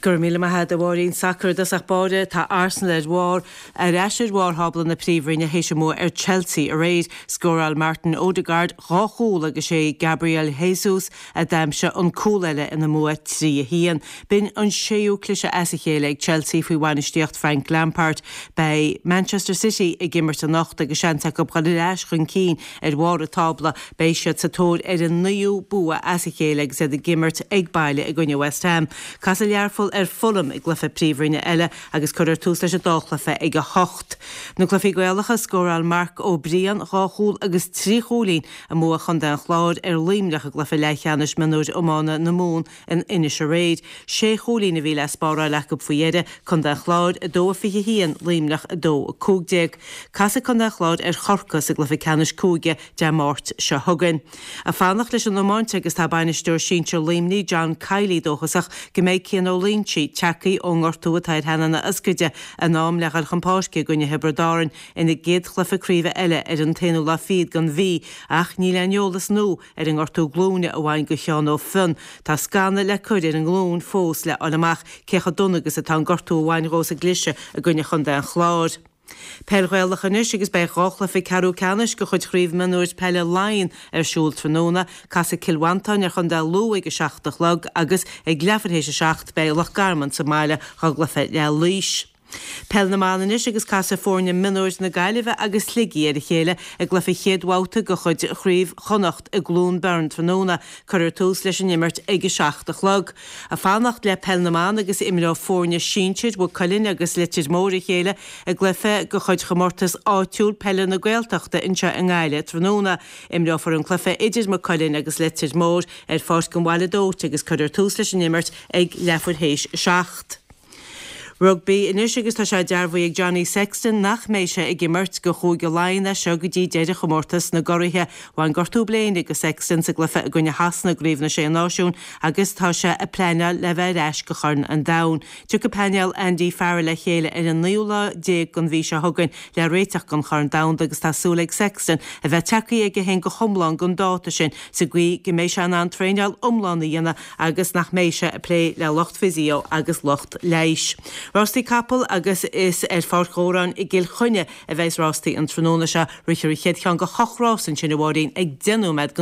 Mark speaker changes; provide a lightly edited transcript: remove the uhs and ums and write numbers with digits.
Speaker 1: Go raibh míle maith agat a Mháirín. Sacar i dtosach báire, tá Arsenal ar bharr ar ais ar bharr thábla na Príomhroinne théis a mbua ar Chelsea aréir. Scóráil Martin Odegaard 2 chúl agus sé Gabriel Jesus a d'aimsigh an cúl eile ina mbua 3, 1. B'in an séú cliseadh as a chéile ag Chelsea faoi bhainistíocht Frank Lampard. Beidh Manchester City ag imirt anocht agus seans acu dhul ar ais chun cinn ar bharr an tábla. Beidh siad sa tóir ar a naoú bua as a chéile agus iad ag imirt ag baile i gcoinne West Ham. Casfaidh Learpholl ar Fulham i gcluiche Príomhroinne eile agus cuirfear tús leis an dá chluiche ag 8. Na cluichí Gaelacha, Scóráil Marc Ó Briain 2 chúl agus 3 chúilín i mbua Chontae an Chláir ar Luimneach i gcluiche leathcheannais mionúir iomána na Mumhan in Inis aréir. Sé chúilín a bhí le spáráil acu faoi dheireadh, Contae an Chláir 2-21, Luimneach 2-15. Casfaidh Contae an Chláir ar Chorcaigh sa gcluiche ceannais cúige Dé Máirt seo chugainn. Ag fanacht leis an iomáint agus tá bainisteoir sinsir Luimnigh, John Kiely dóchasach go mbeidh Cian Ó Loingsigh tagtha ón ngortú atá ar theannán a ioscaide in am le dhul chun páirce i gcoinne Thiobraid Árann ina gcéad chluiche craoibhe eile ar an t-aonú lá fichead den mhí ach níl aon eolas nua ar an ngortú glúine a bhain go Sheán Ó Fionn. Tá scanadh le cur ar an nglúin fós le fháil amach cé chomh dona agus atá an gortú a bhain dhó sa gcliseadh i gcoinne Chontae an Chláir. Peil Ghaelach anois agus beidh 2 chluiche ceathrú ceannais de chuid Chraobh Mionúir Peile Laighean ar siúl tráthnóna. Casfaidh Cill Mhantáin ar Chontae Lú ag 7 a chlog agus ag leathuair théis 7 beidh Loch Garman sa mbaile dá gcluiche le Laois. Peil na mBan anois agus casfaidh foirne mionúir na Gaillimhe agus Shligigh ar a chéile i gcluiche chéad bhabhta de chuid Chraobh Chonnacht i gCluain Bheirn tráthnóna. Cuirfear tús leis an imirt ag 7 a chlog. Ag fanacht le Peil na mBan agus imreoidh foirne sinsir Mhaigh Cuilinn agus Leitir Móir a chéile i gcluiche de chuid chomórtas áitiúil peile na Gaeltachta anseo i nGaillimh tráthnóna. Imreofar an cluiche idir Maigh Cuilinn agus Leitir Móir ar Pháirc an Bhaile Dóite agus cuirfear tús leis an imirt ag leathuair théis 7. Rugbaí anois agus tá sé dearbhaithe ag Johnny Sexton nach mbeidh sé ag imirt go Chúige Laighean as seo go dtí deireadh chomórtas na gCuraithe. Bhain gortú bléine go Sexton sa gcluiche i gcoinne Shasana i gCraobh na Sé Náisiún agus tá sé ag pleanáil le bheith ar ais go Chorn an Domhain. Tiocfaidh painéal Andy Farrell le chéile ar an naoú lá déag den mhí seo chugainn le réiteach don Chorn Domhanda agus tá súil ag Sexton a bheith tagtha aige féin go hiomlán don dáta sin sa gcaoi go mbeidh sé in ann traenáil iomlán a dhéanamh agus nach mbeidh sé ag plé le lucht physio agus lucht leighis. Rástaí capall agus is ar Pháirc Dhóráin i gCill Chainnigh a bheas rástaí an tráthnóna seo. Rithfear an chéad cheann de hocht rás ansin, a Mháirín, ag 5:10 nóiméad.